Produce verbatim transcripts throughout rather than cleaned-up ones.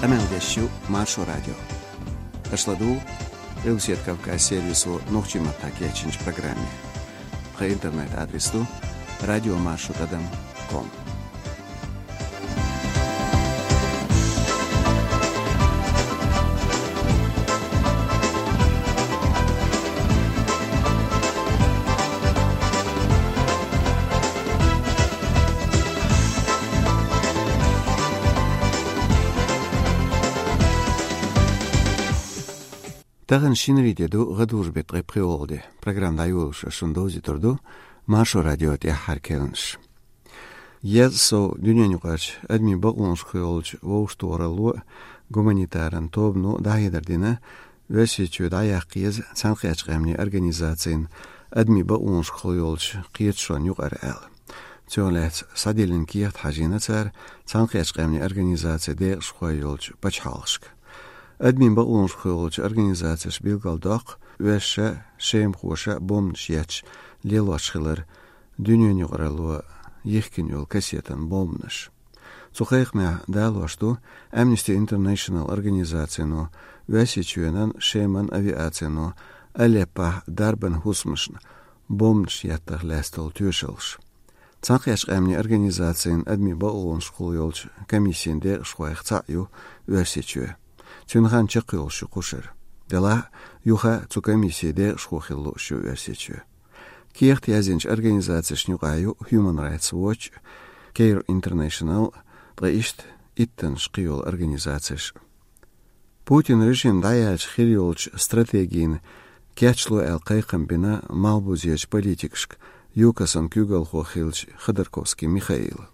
Къамел деш ю Маршо радио. Аша ладугӀу Къилбаседа Кавказ сервисо нохчийн маттахь кечйинчу программе. Тхан интернет-адрес ду радиомаршо тӀадам ком. Тахана шинарин де ду, гӀадужу беттан ткъе пхоьалгӀа де. Программа дӀайолош ас шуна довзуьйтур ду Маршо радион тӀаьххьара керланаш. Еза сов дуьненаюкъарчу адамийн бакъонашкахула йолчу вовшахтохаралло а, гуманитаран тобано а дӀахьедар дина, Оьрсийчоь дӀаяккха еза Цхьаьнакхеттачу Къаьмнийн Организацин адамийн бакъонашкахула йолчу кхеташонна юкъара аьлла. Цунах лаьцна схьадиллина кехат хьажийна цара Цхьаьнакхеттачу Къаьмнийн Организацин декъашхой йолчу пачхьалкхашка. Адамийн бакъонашкахула йолчу организацеша билгалдоккху оьрсаша, шемахоша бомбанаш етташ лелош хилар дуьненаюкъаралло йихкина йолу кассетан бомбанаш. Цу кхайкхамехь далош ду Amnesty International организацино, Оьрсийчоьнан, Шеман авиацино Алеппохь дарбан хӀусамашна бомбанаш еттарх лаьцна долу тоьшаллаш. Цхьаьнакхеттачу Къаьмнийн Организацин адамийн бакъонашкахула йолчу комиссин декъашхойх цхьаъ ю Оьрсийчоь. Цуьнан хан чекхйолуш ю кхушара. Делахь а, юха а цу комиссин декъашхо хила лууш ю Оьрсийчоь. Кехат яздинчу организацешна юкъахь ю Human Rights Watch, Care International, ткъа иштта иттаннаш кхийолу организацеш. Путин режим дӀаяьлча хир йолчу стратегина кечло аьлла кхайкхам бина малхбузечу политикашка ЮКОС-ан куьйгалхо хиллачу Ходорковский Михаила.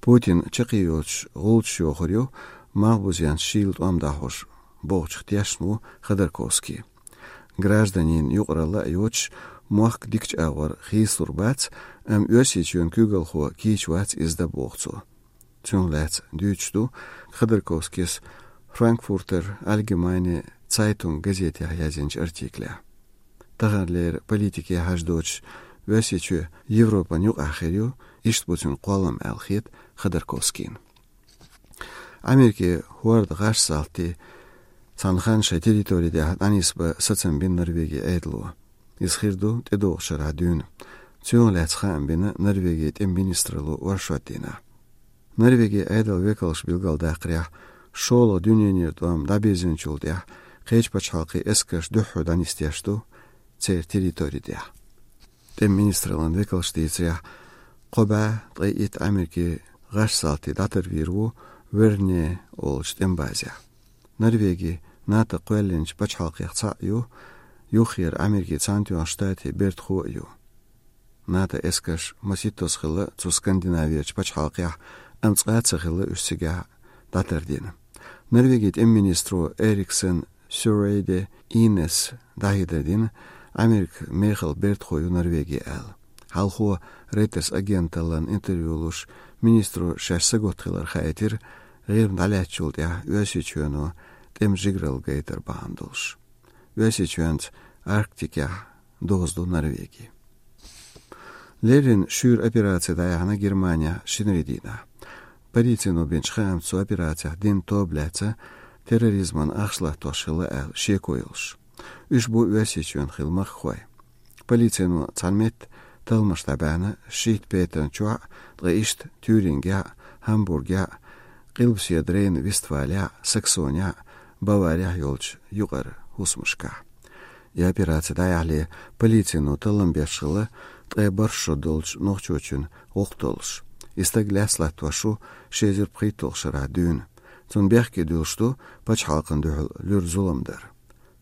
Путин чаккхе йоцуш гӀулчаш йохур ю малхбузенца шийла тӀом дӀахьош бохучух тешна ву Ходорковский. Гражданийн юкъаралла а йоцуш, мохк дикачу агӀор хийцалур бац, амма Оьрсийчоьнан куьйгалхо кийча вац иза дан боху цо. Цунах лаьцна дуьйцуш ду Ходорковскийс Frankfurter Allgemeine Zeitung газетехь яздинчу артиклехь. Таханлера политике хьажа доцуш, Оьрсийчоь Европан юкъахь хир ю, иштта бу цуьнан кхоллам аьлла хета Ходорковскийна. Америкин хӀордан гӀаш-салтий цхьана ханна шайн территори тӀехь дӀанисбан сацам бина Норвегин Ӏедало. Иза хир ду тӀедогӀучу шарахь дуьйна. Цунах лаьцна хаам бина Норвегин тӀеман министралло оршот дийнахь. Норвегин Ӏедалан векалша билгалдаккхарехь, шолгӀа дуьненан тӀом дӀабирзинчул тӀаьхьа кхечу пачхьалкхийн эскарш дуьххьара дӀанисдеш ду церан территори тӀехь. ТӀеман министраллин векалша дийцарехь, кхо бӀе ткъе итт Америкин гӀаш-салтий дӀатарвийр ву Верне олучу тӀеман базехь. Норвеги НАТО кхоьллинчу пачхьалкхех цхьаъ ю, юххера Америкин Цхьаьнатоьхначу Штатийн бертахо а ю. НАТО эскарш масийттаза хилла цу Скандинавечу пачхьалкхехь, амма цкъа а ца хилла уьш цигахь дӀатардина. Норвегин тӀеман министро Эриксен Сюрейде Инес дӀахьедар дина, Америка мехала бертахо ю Норвеги аьлла. Хьалхо Reuters агенталлина интервью луш, министро шаьш сагатта хилар хаийтира, ГӀирма дӀалаьцначул тӀаьхьа Оьрсийчоьно тӀеман жигаралла гайтар бахьана долуш. Оьрсийчоьнца Арктикехь доза ду Норвеги. Леррина шуьйра операци дӀаяьхьна Германехь шинарин дийнахь. Полицино бинчу хаамца, цу операцехь дина тоба лаьцна терроризмана ахча латтош хилла аьлла шеко йолуш. Уьш бу Оьрсийчоьнан хилла махкахой. Полицино цхьана метта талламаш дӀабаьхьна шийтта петан чохь а, ткъа иштта Тюрингехь а, Гамбургехь а, Къилбаседа Рейн-Вестфалехь а, Саксонехь а, Баварехь а йолчу юкъара хӀусамашкахь. И операци дӀаяхьале, полицино таллам беш хилла ткъе бархӀ шо долчу нохчочун гӀуллакх долуш. И стаг лаьцна латтош ву ши эзар пхийтталгӀачу шарахь дуьйна. Цунна бехке дуьллуш ду пачхьалкхана дуьхьал луьра зулам дар.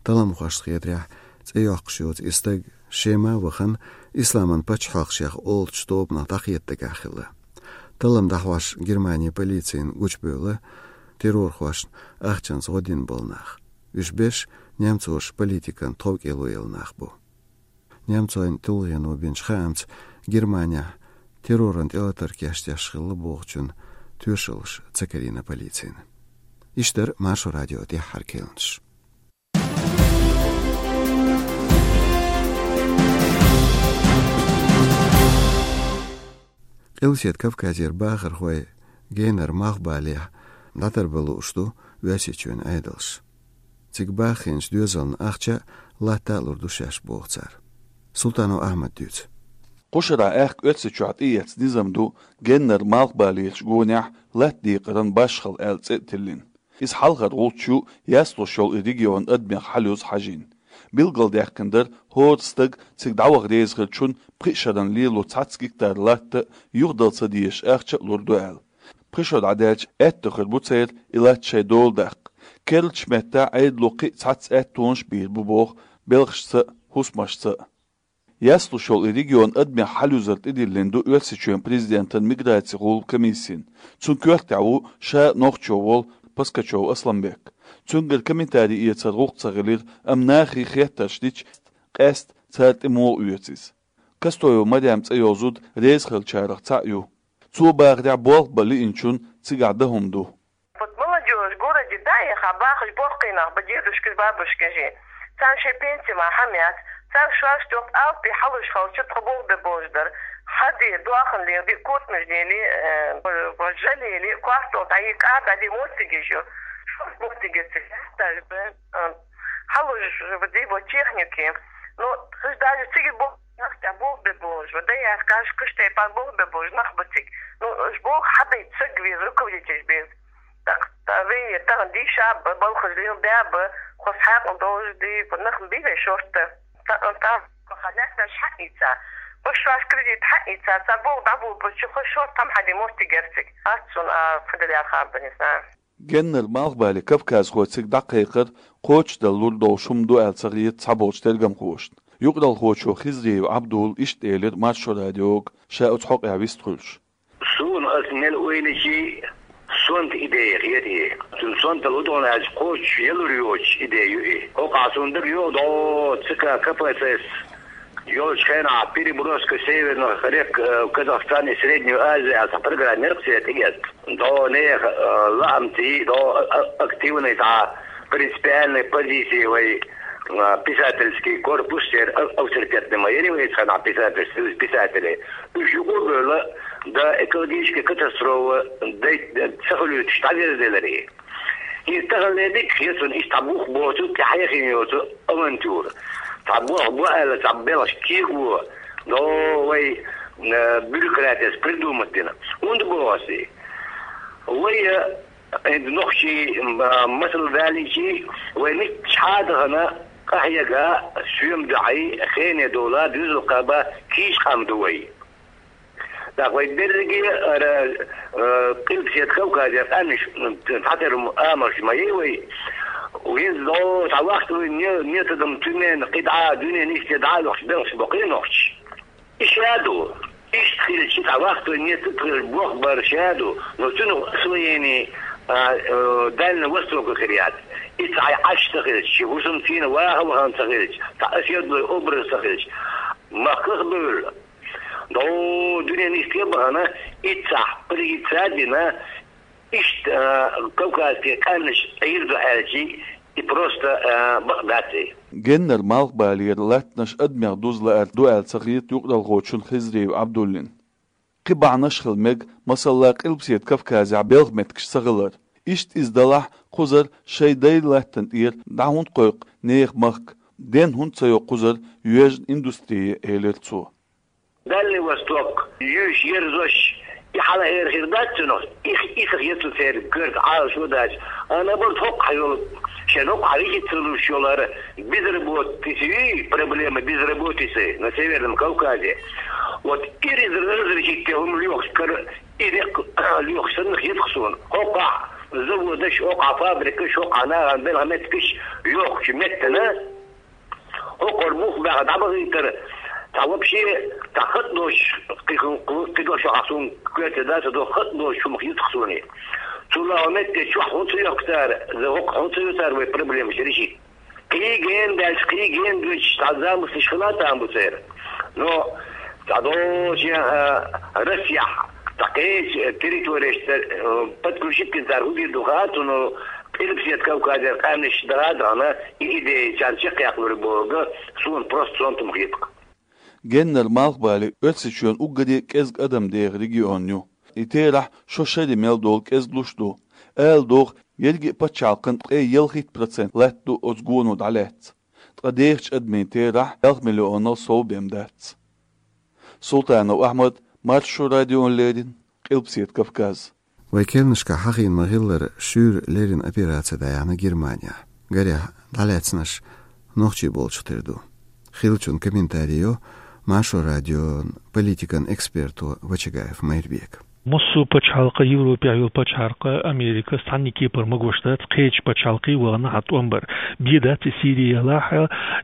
Талламхошна хетарехь, цӀе йоккхуш йоцу и стаг Шема а вахана, Исламан пачхьалкх шех олучу тобанах дӀакхета дагахь хилла. Таллам дӀахьош Германин полицина гучубевлла террорхошна ахчанца гӀо дина болу нах. Уьш берш немцоша политикан тховкӀело елла нах бу. Немцойн тулгӀено бинчу хаамца, Германехь терроран тӀелатар кечдеш хилла бохучун тоьшаллаш ца карийна полицина. Иштта дара Маршо радион тӀаьххьара керланаш. Къилбаседа Кавказера бахархой генара малхбалехь ДӀатарбан лууш ду Оьрсийчоьнан Ӏедалш. Цига баххийначу доьзална ахча а, латта а лур ду шаьш, боху цара. Султанов Ахьмада дуьйцу. Кху шарахь аьхка Оьрсийчохь тӀеэцна низам ду, геннара малхбалерчу гонехь латта декъаран башхалла аьлла цӀе а тиллина. Иза хьалхара гӀулч ю, яслуш йолу и регион адамех хьалъюза хьажийна. Билгалдаьккхина дара, хӀора стаг цига дӀаваха реза хиллачунна пхи шарна лело цхьацца гектар латта а, юхадала ца дезаш ахча а лур ду аьлла. Пхи шо дӀадаьлча, аьтто хир бу церан и латта шайн дола даккха. Керлачу меттехь Ӏедало кхин а цхьацца аьттонаш а бийр бу боху белхашца а, хӀусамашца а. Яслуш йолу и регион адамех хьалъюзар тӀедиллина ду Оьрсийчоьнан президентан миграцин гӀуллакхан комиссина. Цунна коьртехь ву ша а нохчо волу Паскачев Асламбек. Цуьнгара комментарий эцар гӀуллакх ца хилира, амма нахе хеттарш дича, къаьсттина цара тӀе муха оьцу иза. Кастоева Марем цӀе йолу зуда реза хиллачарах цхьаъ ю. Цо бахарехь, болх бан лиъначунна цигахь дан хӀума ду. Вот молодёжь в городе, да, яха бахаш боккхий нах ба, дедушкаш, бабушкаш. Царна шайн пенси ма хьамец, царна шоаш тӀехь алапи хьалуш хилча тхо болх бе болуш дара. Хьан де, дохана леха де, кортамаш дели, э, жалели, кортал дӀа и кӀа дӀа де моттигаш ю. Шо моттигаш ца хьаьсташ бен, э, хьалуш де бо техники. Ну, хӀуш даже цига бо нах тӀехь болх бе болуш, ва да яхкаш, кхуьш тайпа болх бе болуш нах ба цига. Ну, уьш болх хьабайта саг веза, руководитель беза. Так, та вей, тахана дийша а ба, балхаш леладаь а ба, хӀокху хьаькъал долуш ди, нах бий вай шортта. Та, та, хьан лаьтташ хьаийца, башваш кредит хьаийца, ца болх дӀаболабелча, хӀокху шортта хьан хьаде моттиг яра цига. Ас цунна, а, фу делла хабар, не знаю. Геннара малхбале кавказхой цига дӀакхайкхар кхочушдала лур долуш хӀума ду аьлла ца хета цхьаболчу тергамхошна. Юкъаралхочо Хизриев Ӏабдулла иштта элира Маршо радиога, ша оцу хьокъехь вистхуьлуш. Суна ас мел ойличи, сонта идея хета и. Цуьнан сонта лудогӀна аьлча кхочуш ялур йоцуш идея ю и. ХӀокхахь суна дага йогӀу дӀо ЦК КПСС йолчу хенахь переброска северных рек, э, Казахстан и Среднюю Азию аьлла программа яра-кх церан тӀегетта. ДӀо нехан, э, лаамций, дӀо, э, активный цхьа принципиальный позиции вай, э, писательский корпус, церан, э, авторитетный ма яра вай цхьана писатель, союз писателей. Уьш юкъа а бевлла, да, экологическая катастрофа, да, да, ца хуьлуьйтуш дӀаверзделаре. Иза тахана дика хета суна, иштта цхьа бух боцу, тӀе хьехийна йоцу авантюра. Цхьа болх бу аьлла, цхьа белхаш кегабо, но вай, э, бюрократияс придумать дина. ХӀунда боху ас и? Вай, э, нохчий, м, а, масал далийчи, вай миччахьа а дахана, къахьега, соьма дуьхьий, хене дола, дуьзал кхаба, кийча къам ду вай. ТӀаккха вай берриге ара, э, Къилбаседа Кавказера къаьмнаш, м, цхьатерра амалш ма яй вай. ХӀинца дӀо цхьа вахтовый ме-, методом туьмена кхидӀа, дуьненан йисте дӀа а лохуш, белхаш бо кхин нохчий. И ша ду. Иштта хилча, цхьа вахтовый метод хилча, болх бар ша ду. Но цуьнан освоение, а, э, Дальний Восток хир яц. И цхьа Ӏаш ца хилча, ши хӀусамцийна ваха вахана ца хилча, цхьа оседлый образ ца хилча, махках а бевлла. ДӀо дуьненан йисте а бахана, иццахь позиция а дина, иштта, а, кавказский къаьмнаш Ӏийр ду аьлчи, и просто, а, бакъ дац и. Геннара малхбалера латтанаш адамех дуза лаар ду аьлла ца хета юкъаралхочун Хизриев Ӏабдуллин. Кхин бахьанаш хила мега, масала, Къилбаседа Кавказехь белхан меттигаш ца хилар. Иштта иза далахь, кхузара шайн дайн латтана тӀера дӀа хӀунда кхойкху нехан махка, денна хӀунда ца йо кхузара йоьжна индустрия, элира цо. Дальний Восток, юьйш ерзош, и хьалаэр хир дац цунах, и, и сах яцу церан коьрта Ӏалашо дац. А наоборот, хӀокху хьайолу, шен хӀокху хьан вихица луш йолара безработица, проблема безработицы на Северном Кавказе. Вот и раз-, разрешить те хӀума лоьхуш кара, и рекх лоьхуш санна хетах суна. ХӀокхахь заводаш, хӀокхахь фабрикаш, хӀокхахь нахана белхан меттигаш йохучу меттана, хӀокхуьра бух баьхна дӀабахийтара, цхьа вообще, цхьа хатӀ доцуш, кхидолчохь ахь суна коьрте дац а до, хатӀ доцуш хӀума хетах суна. Цул а метте чохь хӀун ца йохку цара, за хӀокху хӀун ца йо цара вай проблемаш решить. Кхин гена даьлча, кхин гена доьдуш, цхьа замыслаш хила а там бу церан. Но цхьа долчу, а, Россехь, цхьа кхечу территореш, э, подключить дина цара хӀун дийр ду хаьа, цунах Къилбаседа Кавказера къаьмнаш дара а дахана, и идея царна чекхъяккхалур бохург суна просто сонта хӀума хета-кх. Геннара малхбале Оьрсийчоьнан уггаре а кӀезга адам деха регион ю. И терахь шо шаре мел долу кӀезглуш ду. Ала догӀу, ерриге а пачхьалкхан ткъе ялхитта процент латта ду оцу гоно дӀалаьцна. Ткъа дехачу адамийн терахь ялх миллионал сов бен дац. Султанов Ахьмад, Маршо радиона леррина, Къилбаседа Кавказ. Вайн керланашкахь хьахийна ма-хиллара, шуьйра леррина операци дӀаяьхьна Германехь. Гарехь, дӀалаьцнарш нохчий болчух тера ду. Хиллачун комментари йо Маршо радион политикан эксперто Вачагаев Майрбека. Массо а пачхьалкх, Европехь йолу пачхьалкх, Америка, цхьанна кепара магош дац кхечу пачхьалкхе вахана хьан тӀом бар. Бен дац и Сири елахь,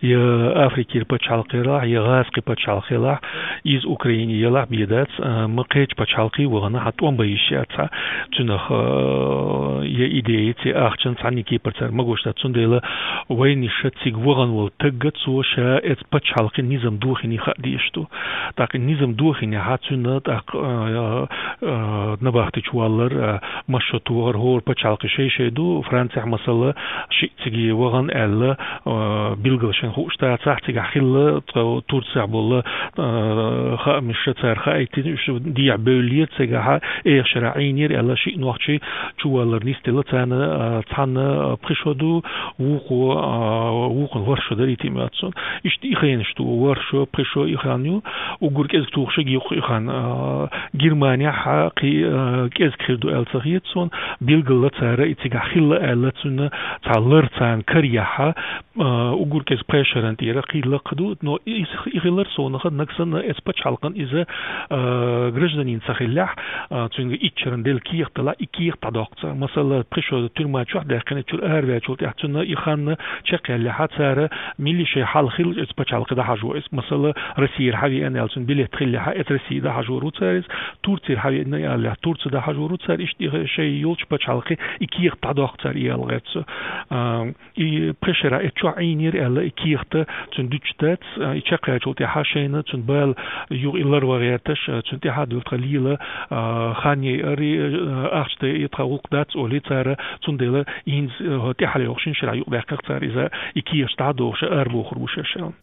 я Африкера пачхьалкх елахь, я ГӀазкхи пачхьалкх елахь, иза Украина елахь, бен дац, а, ма кхечу пачхьалкхе вахана хьан тӀом бан йиш яц хьан. Цуьнах, а, я идеяца, я ахчанца цхьанна кепара цара магош дац. Цундела вайнаша цига вахана волу тагга цо ша эцу пачхьалкхе низам дохийна хаа дезаш ду. ТӀаккха и низам дохийнехь, цуьнан тӀаккха, а, а, набахтечу валлар, а, масшо тохар, хӀора пачхьалкхе шай-шай ду, Францехь, масала, шиъ цига вахана аьлла, а, билггал шайн хууш дацахь, цигахь хилла, тхо Турцехь болу, а, хаамаш цара хаийтина, уьш дехьа бевллера, цигахь эха шарахь Ӏийнера аьлла, шиъ нохчий чуваллар нисделла, царна, а, цхьанна пхи шо ду, вукхо, а, вукхун ворхӀ шо дарий тӀе моьтту суна. Иштта и хенаш ду, ворхӀ шо, пхи шо и хан ю, уггар кӀезиг тухуш а юккъе и хан, а, Германехь кхин, а, кӀезиг хир ду аьлла ца хета суна, билггал цара и цигахь хилла аьлла, цуьнан цхьа лар царна караехь, а, уггар кӀезиг пхи шаран тӀера кхин лакха ду, но и, и хилар совнаха нагахь санна эцу пачхьалкхан иза, а, гражданин ца хиллехь, а, цуьнга итт шаран делла кехат далахь, и кехат дӀадоккху цара. Масала, пхи шо тюрьма чохь даьккхина, чуьра араваьллачул тӀаьхьа цуьнан и хан чекхъяьллехь, цара милли шайн хьал хилча эцу пачхьалкхе дӀахьажо иза. Масала, Россера хьавеана аьлла, цуьнан билет хиллехь, эцу Россе дӀахьажор ву цара иза, Турцера хьавеана аьллехь, Турце дӀахьажор ву цара, иштта и шайн йолчу пачхьалкхе и кехат дӀадоккху цара, и аьлла гӀерта со. А, И пхи шарахь эцу чохь Ӏийнера аьлла, и кехат цуьнан дуьтуш дац, а, и чекхъяьллачул тӀаьхьа шайна цуьнан бала юха и ларван гӀерташ, а, цуьнан тӀаьхьа дуьллу тхан лела, а, хан яйъарий, а, ахча дайъарий тхан гӀуллакх дац олий цара, цундела хӀинца, а, тӀаьхьа лайоху шина шарахь юкъадаьккхина цара иза, и кехаташ дӀадохуш арабохур бу шаьш аьлла.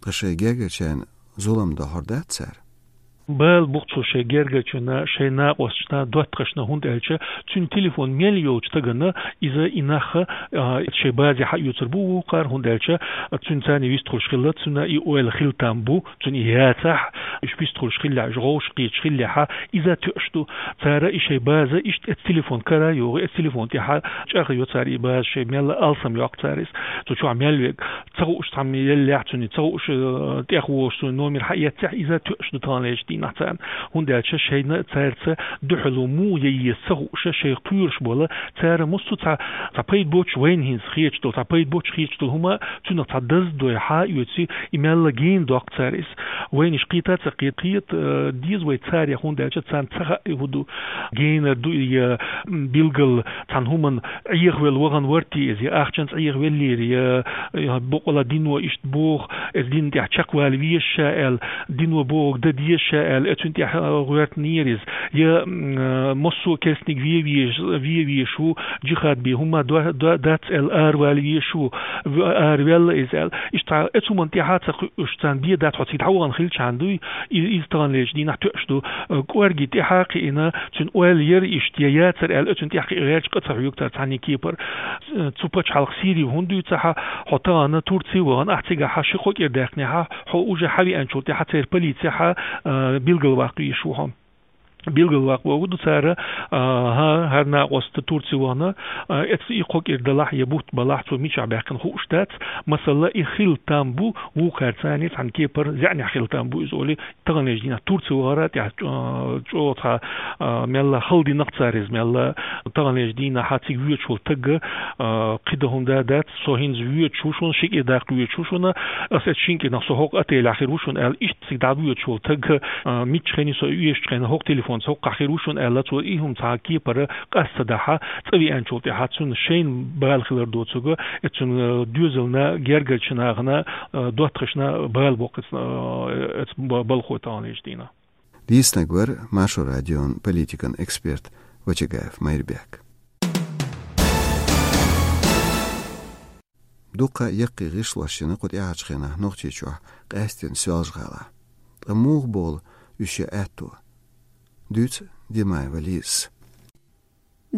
Ткъа шайн гергарчарна зулам дохьур дац цара? Бала бу-кх цо шайн гергарчарна, шайн накъосташна, доттагӀашна, хӀунда аьлча цуьнан телефон мел йолчу стагана иза и нах, а, шайн базе хьаоьцур бу вукхара, хӀунда аьлча цуьнан царна вистхуьлуш хилла, цуьнан и ойла хила там бу, цуьнан и яцахь, уьш вистхуьлуш хиллехь, уьш гӀовш кхеташ хиллехь, иза тоьаш ду. Цара и шайн база иштта эцу телефон кара йогӀу, эцу телефон тӀехь чӀагӀйо цара и база, шайн мелла алсам йоккху цара иза. Цу чохь мел верг ца хууш цхьамма еллехь, цуьнан ца хууш, э, тӀехволуш цуьнан номер хьаэццехь, иза тоьаш ду таханлерчу дийнахь царна. ХӀунда аьлча шайна цаьрца дуьхьало муха ян еза ца хууш, шайх кхоьруш бола, цара массо а цхьа, цхьа пайда боцуш вайна хӀинца хеташ долу, цхьа пайда боцуш хеташ долу хӀума цуьнах цхьа даза дой хьаоьций, и мелла гена доккху цара иза. Вайна уьш кхета а ца кхета, кхета, э, деза вай царех, хӀунда аьлча царна ца хаьа и хӀун ду. Генара ду и, я, м, билггал цхьана хӀуманна Ӏехавелла вахана вара те иза, я ахчанца Ӏехавеллера, я, я бакъволу дино иштта боху, иза дина тӀехь чекхвала веза ша аьлла, дино бохург дан деза ша аьлла, оцунна тӀехь, а, гӀоьртинера иза. Я, м, а, массо а керстаниг вен везаш, вен везаш ву, джихад бен хӀума до-, до-, дац аьлла, аравала везаш ву, в-, араваьлла иза аьлла. Иштта оцу хӀуманна тӀехь а ца кхуьуш, царна бен дац, хьо цига дӀавахана хилча хьан дуй, и-, иза таханлерчу дийнахь тоьаш ду. Э, кӀорге тӀаьхьа а кхиъна, цуьнан ойла яра иштта, я яцара аьлла, оьцунна тӀехь кхин гӀерташ къа ца хьоьгу цара цхьанна кепара. Э, цу пачхьалкх Сири хӀунда дуьйцу хьан, хьо тахана Турци вахана, ахь цигахь хьан ши-кхо кӀира даьккхинехь, хьо уже хьавеанчул тӀаьхьа церан полици хьан, э, билгалваккха везаш ву хьо. Билгалваккха бохург ду цара, э, хьан, хӀара накъост Турци вахана, э, эцу и кхо кӀира далахь, я бутт балахь, цо мичахь баьккхина хууш дац. Масала, и хила там бу, вукхара царна цхьана кепара зеӀнехь хила там бу иза олий, таханлерчу дийнахь Турци вахара тӀехь чӀо-, чӀогӀа цхьа, а, мелла хала дина-кх цара иза, мелла таханлерчу дийнахь цига воьдуш волу таг, а, кхин дан хӀума дац, со хӀинца воьдуш ву шуна, ши кӀира даккха воьдуш ву шуна, ас эцу шина кӀирнах со хӀокху отелехь хир ву шуна аьлла, иштта цига дӀавоьдуш волу таг, а, миччахьа хир ю со оьшучу хенахь, хӀокху телефонца хӀокхахь хир ву шуна аьлла, цо и хӀума цхьа кепара къаста дахьа, цӀа веанчул тӀаьхьа цунна шайна бала хилар доцург, эцу цуьнан, а, доьзална, гергарчу нахана, а, доттагӀашна бала боккхуьйту, а, эцу ба-, балхо таханлерчу дийнахь. Дийцинарг вара Маршо радион политикан эксперт Вачагаев Майрбек. Дуккха а яккхий гӀишлош йина кху тӀаьхьарчу хенахь Нохчийчохь, къаьсттина Соьлжа-ГӀалахь. Ткъа муха болу уьш ян аьтто? Дуьйцу Димаева Лизас.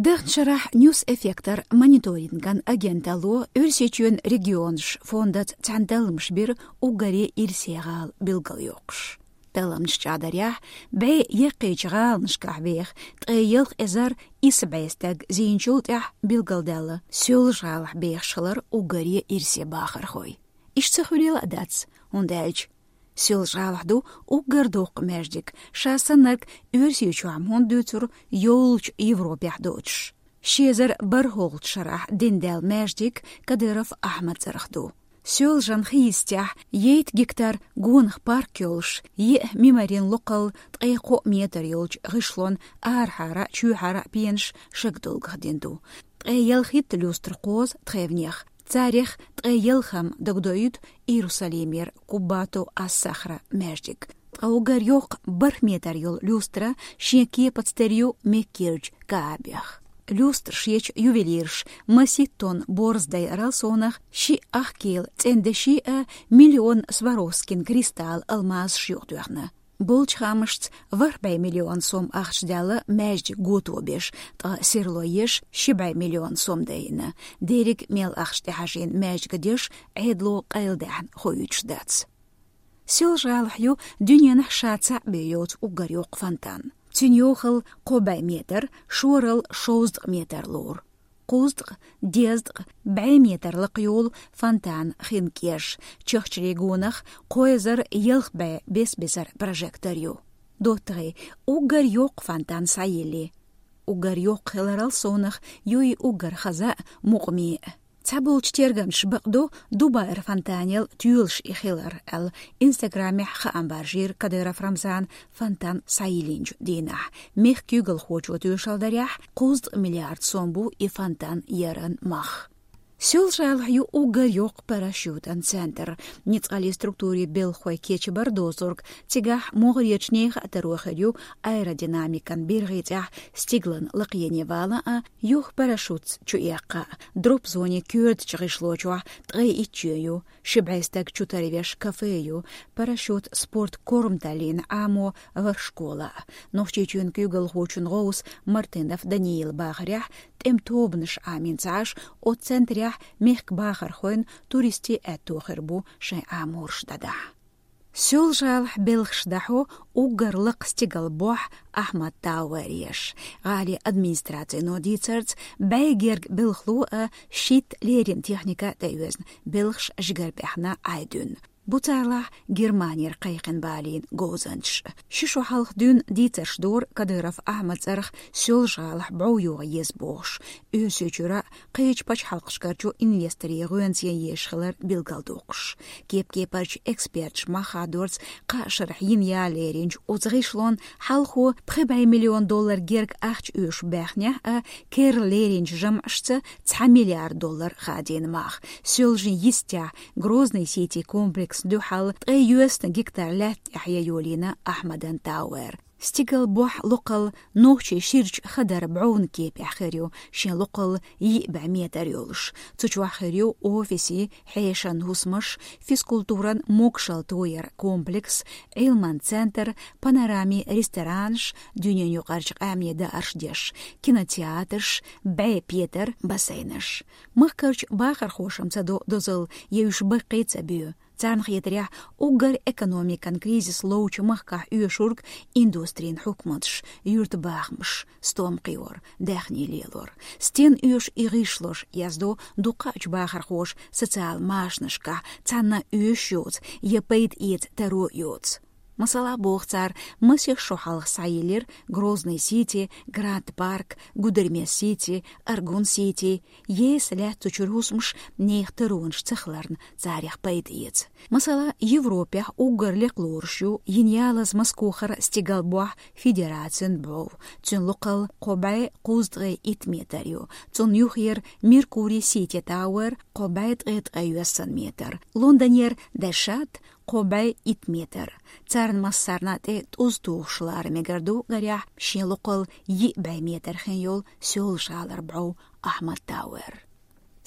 Даханчу шарахь Ньюс Эффектор мониторинган агенталло Оьрсийчоьнан регионаш фондаца цхьаьна талламаш бира уггаре ирсе гӀала билгалйоккхуш. Талламаш чӀагӀдарехь, бӀе яккхийчу гӀаланашкахь беха ткъе ялх эзар исс бӀе стаг зийначул тӀаьхьа билгалдаьлла Соьлжа-ГӀалахь бехаш хилар уггаре ирсе бахархой. Иштта ца хуьлийла а дац, хӀунда аьлча Соьлжа-ГӀалахь ду уггар доккха маьждиг, ша саннарг Оьрсийчохь хӀунда дуьйцур, йоллучу Европехь доцуш. Ши эзар бархӀолгӀачу шарахь дина даьлла маьждиг Кадыров Ахьмад цӀарах ду. Соьлжан хи йистехь, ейтта гектар гонах парк йолуш, еа мимарин локхалла ткъе кхоъ метр йолчу гӀишлон арахьара а, чоьхьара а пенаш шагдолгах дина ду. Ткъе ялхитта люстра кхозу тхевнех, царех ткъе ялхам дагадоуьйту Иерусалимера Куббату ас-Сахра маьждиг. Ткъа уггар йоккха бархӀ метр йолу люстра шен кепаца тера ю Меккерчу Каабех. Люстра шечу ювелирша маситтонан борз дайарал совнах шиъ ах кела цӀена деши а, миллион Сваровскин кристалла алмазаш юкъатоьхна. Болчу хаамашца, ворхӀ бӀе миллион сом ахча даьлла маьждиг гото беш, ткъа серло еш ши бӀе миллион сом дайина. Дерриг мел ахча тӀехьажийна маьждига деш Ӏедало къайладаьхьна хуьйцуш дац. Соьлжа-ГӀалахь ю дуьненахь ша цхьаъ бен йоцу уггар йоккха фонтан. Цуьнан йохалла кхо бӀе метр, шоралла шовзткъа метр лору. Кхузткъа, дезткъа, бӀе метр лакха йолу фонтанан хин кӀеш, чахчарийн гонах кхо эзар ялх бӀе бес-бесара прожектор ю. ДоттагӀий, уггар йоккха фонтан схьайиллий? Уггар йоккха хиларал совнах ю и уггар хаза а, мукъаме а. Цхьаболчу тергамчаша бакъду, Дубайра фонтанел тоьлуш и хилар аьлла, Инстаграмехь хаам баржийра Кадыров Рамзана фонтан схьайиллинчу дийнахь. Мехкан куьйгалхочо тоьшалла дарехь, кхузткъа миллиард сом бу и фонтан яран мах. Соьлжа-ГӀалахь ю уггар йоккха парашютан центр. Ницкъаллин структурийн белхахой кечбар доцург, цигахь могӀарерчу нехан а таро хир ю аэродинамикан биргӀи тӀехь стигалан лакхене вала а, юха парашютца чуэккха а. Дроп-зонин коьртачу гӀишлочохь ткъе итт чоь ю, ши бӀе стаг чутарвеш кафе ю, парашют спорт корматаллина Ӏамо ворхӀ школа а. Нохчийчоьнан куьйгалхочун гӀовс Мартынов Даниила бахарехь, тӀеман тобанаш Ӏамийна ца Ӏаш, оцу центрехь мехкан бахархойн, туристийн аьтто хир бу шайн Ӏаморш дӀадахьа. Соьлжа-ГӀалахь белхаш дӀахьо уггар лакха стигалан бохь Ахьмад Тауэр еш. ГӀалин администрацино дийцарца, бӀе герга белхало а, шийтта леррина техника а тӀеоьзна, белхаш жигара пӀаьхна Ӏай дуьйна. Бу царлахь Германера кхайкхина балийна говзанчаш. Ши шо хьалха дуьйна дийцарш дора Кадыров Ахьмадан цӀарах Соьлжа-ГӀалахь бӀов йогӀа еза бохуш. Оьрсийчуьра а, кхечу пачхьалкхашкарчу инвесторийн гӀоьнца ян езаш хилар билгалдоккхуш. Кеп-кепарчу эксперташа мах хадорца кхаа шарахь йина яла леринчу оцу гӀишлонна хьалхо пхи бӀе миллион доллар герга ахча оьшуш баьхнехь а, керла леринчу жамӀашца цхьа миллиард доллар хадийна мах. Соьлжин йистехь Грозный Сити комплексна дуьхьал ткъе йоьсна гектар лаьтта тӀехь ян йолийна Ахьмадан Тауэр. Стигалан бохь локхалла нохчийн ширачу хадаран бӀовна кепехь хир ю, шен локхалла йиъ бӀе метр йолуш. Цу чохь хир ю офисий, хьешан хӀусамаш, физкультуран могашалла тояран комплекс, Ӏилман центр, панорамин ресторанаш, дуьненаюкъарчу къаьмнийн даарш деш, кинотеатрш, бӀе петар, бассейнаш. Махкарчу бахархоша-м ца до дозалла, я уьш баккхий а ца боь. Царна хетарехь, уггар экономикан кризис ловчу махкахь оьшург индустрин хьукматаш, юьртан бахамаш, стом кхиор, даьхни лелор. Стенна оьшу и гӀишлош, яздо дукхачу бахархоша социал машанашкахь, цхьанна оьшуш йоцу я пайда эца таро йоцу. Масала, боху цара, масех шо хьалха схьайиллира Грозный Сити, Гранд Парк, Гудермес Сити, Аргун Сити, еса лаьтта цу чуьра хӀусамаш нехан таронаш ца хиларна царех пайда эца. Масала, Европехь уггар лекха лоруш ю йина ялаза Москохара стигалан бохь Федерацин бӀов. Цуьнан локхалла кхо бӀе кхузткъе итт метр ю. Цунна юххера Меркурий Сити Тауэр кхо бӀе ткъе ткъе йоьссан метр. Лондонера Дешат кхо бӀе итт метр. Царна массарна а тӀе тӀуза тухуш лара мегар ду, гарехь, шен локхалла йиъ бӀе метр хин йолу Соьлжа-ГӀалара бӀов Ахьмад Тауэр.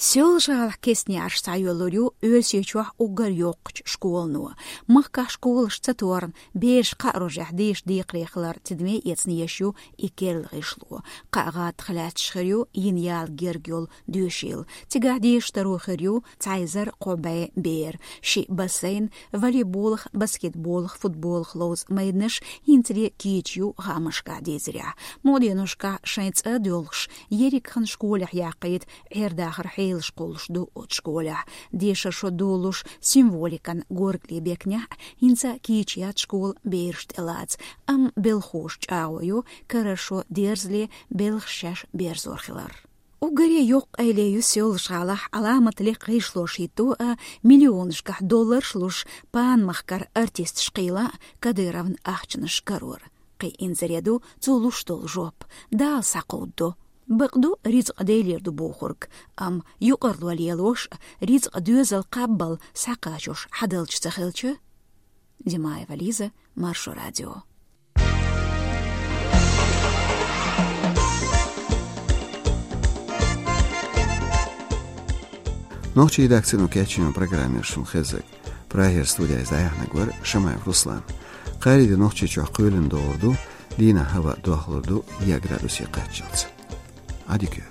Соьлжа-ГӀалахь кестнеш схьайоьллур ю Оьрсийчохь уггар йоккхачу школано. Махкахь школаш ца торна, бераш кхаа рожехь деша декхаре хилар тидаме эцна еш ю и керла гӀишло. Кхаа гӀаттах лаьтташ хир ю йина яла герга йолу доьшийла. Цигахь дешаш таро хир ю цхьа эзар кхо бӀе бер. Шиъ бассейн, волейболах, баскетболах, футболах ловзу майданаш хӀинцале кийча ю хаамашкахь дийцарехь. Мукъа деношкахь шайн цӀа а доьлхуш, ерриг хан школехь яккхийта Ӏер-дахар хьелаш кхуллуш ду оцу школехь. Дешаран шо долуш символикан горгали бекнехь а, хӀинца кийча яц школа бераш тӀелаца. Амма белхахоша чӀагӀо йо, карара шо дерзале, белхаш шаьш берзор хилар. Уггаре йоккха къайле ю Соьлжа-ГӀалахь Ӏаламат лекха гӀишлош хӀитто а, миллионашкахь долларш луш, панамахкара артисташ кхийла а, Кадыровн ахчанаш карор. Кхин инзаре ду цо луш долу жоп: Дала схьакховдадо. Бакъду, рицкъа Делера ду бохург, амма юкъарло лелош а, рицкъа доьзал кхаббал схьакхачош хьадалча ца хилча? Димаева Лиза, Маршо радио. Нохчийн редакцино кечйина программа яра шуна хезнарг. Прагера студехь иза дӀаяьхьнарг вара Шамаев Руслан. Кхаарин де Нохчийчохь кхоьлина догӀур ду, дийнахь хӀаваъ дохлур ду исс градусе кхаччалц. Ӏадика йойла.